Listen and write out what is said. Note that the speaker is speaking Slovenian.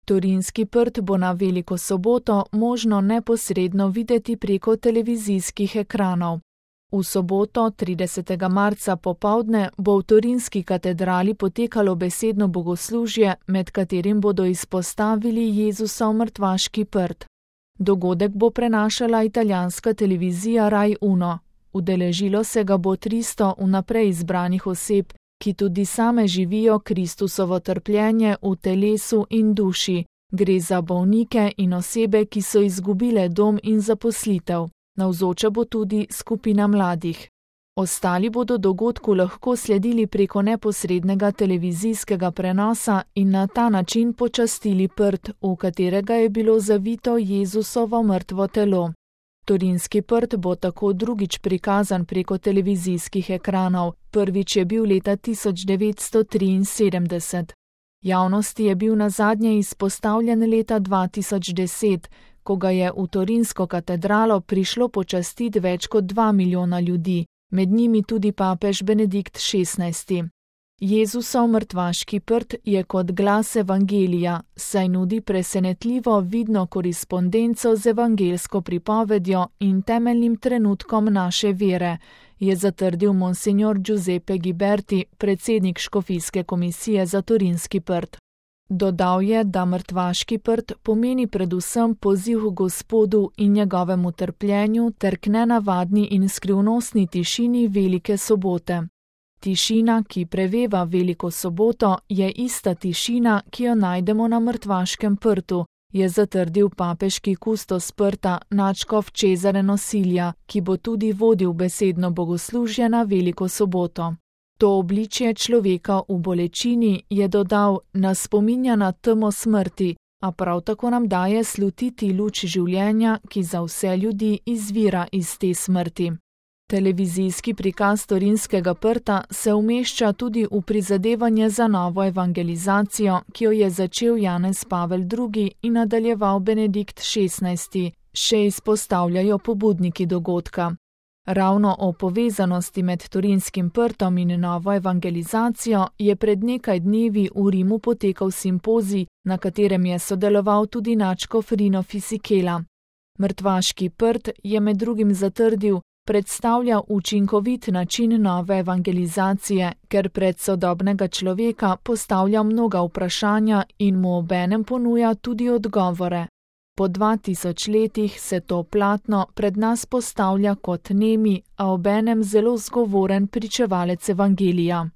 Torinski prt bo na Veliko soboto možno neposredno videti preko televizijskih ekranov. V soboto, 30. marca popoldne, bo v Torinski katedrali potekalo besedno bogoslužje, med katerim bodo izpostavili Jezusov mrtvaški prt. Dogodek bo prenašala italijanska televizija Rai Uno. Udeležilo se ga bo 300 vnaprej izbranih oseb, ki tudi same živijo Kristusovo trpljenje v telesu in duši. Gre za bolnike in osebe, ki so izgubile dom in zaposlitev. Navzoča bo tudi skupina mladih. Ostali bodo dogodku lahko sledili preko neposrednega televizijskega prenosa in na ta način počastili prt, v katerega je bilo zavito Jezusovo mrtvo telo. Torinski prt bo tako drugič prikazan preko televizijskih ekranov, prvič je bil leta 1973. Javnosti je bil nazadnje izpostavljen leta 2010, ko ga je v Torinsko katedralo prišlo počastiti več kot 2 milijona ljudi, med njimi tudi papež Benedikt XVI. Jezusov mrtvaški prt je kot glas evangelija, saj nudi presenetljivo vidno korespondenco z evangelsko pripovedjo in temeljnim trenutkom naše vere, je zatrdil monsignor Giuseppe Ghiberti, predsednik škofijske komisije za Torinski prt. Dodal je, da mrtvaški prt pomeni predvsem poziv k Gospodu in njegovemu trpljenju ter k nenavadni in skrivnostni tišini Velike sobote. Tišina, ki preveva Veliko soboto, je ista tišina, ki jo najdemo na mrtvaškem prtu, je zatrdil papeški kustos prta nadškof Cesare Nosilja, ki bo tudi vodil besedno bogoslužje na Veliko soboto. To obličje človeka v bolečini, je dodal, nas spominja na temo smrti, a prav tako nam daje slutiti luč življenja, ki za vse ljudi izvira iz te smrti. Televizijski prikaz Torinskega prta se umešča tudi v prizadevanje za novo evangelizacijo, ki jo je začel Janez Pavel II. In nadaljeval Benedikt XVI., še izpostavljajo pobudniki dogodka. Ravno o povezanosti med Torinskim prtom in novo evangelizacijo je pred nekaj dnevi v Rimu potekal simpozij, na katerem je sodeloval tudi nadškof Rino Fisichella. Mrtvaški prt je med drugim zatrdil, predstavlja učinkovit način nove evangelizacije, ker pred sodobnega človeka postavlja mnoga vprašanja in mu obenem ponuja tudi odgovore. Po 2000 letih se to platno pred nas postavlja kot nemi, a obenem zelo zgovoren pričevalec evangelija.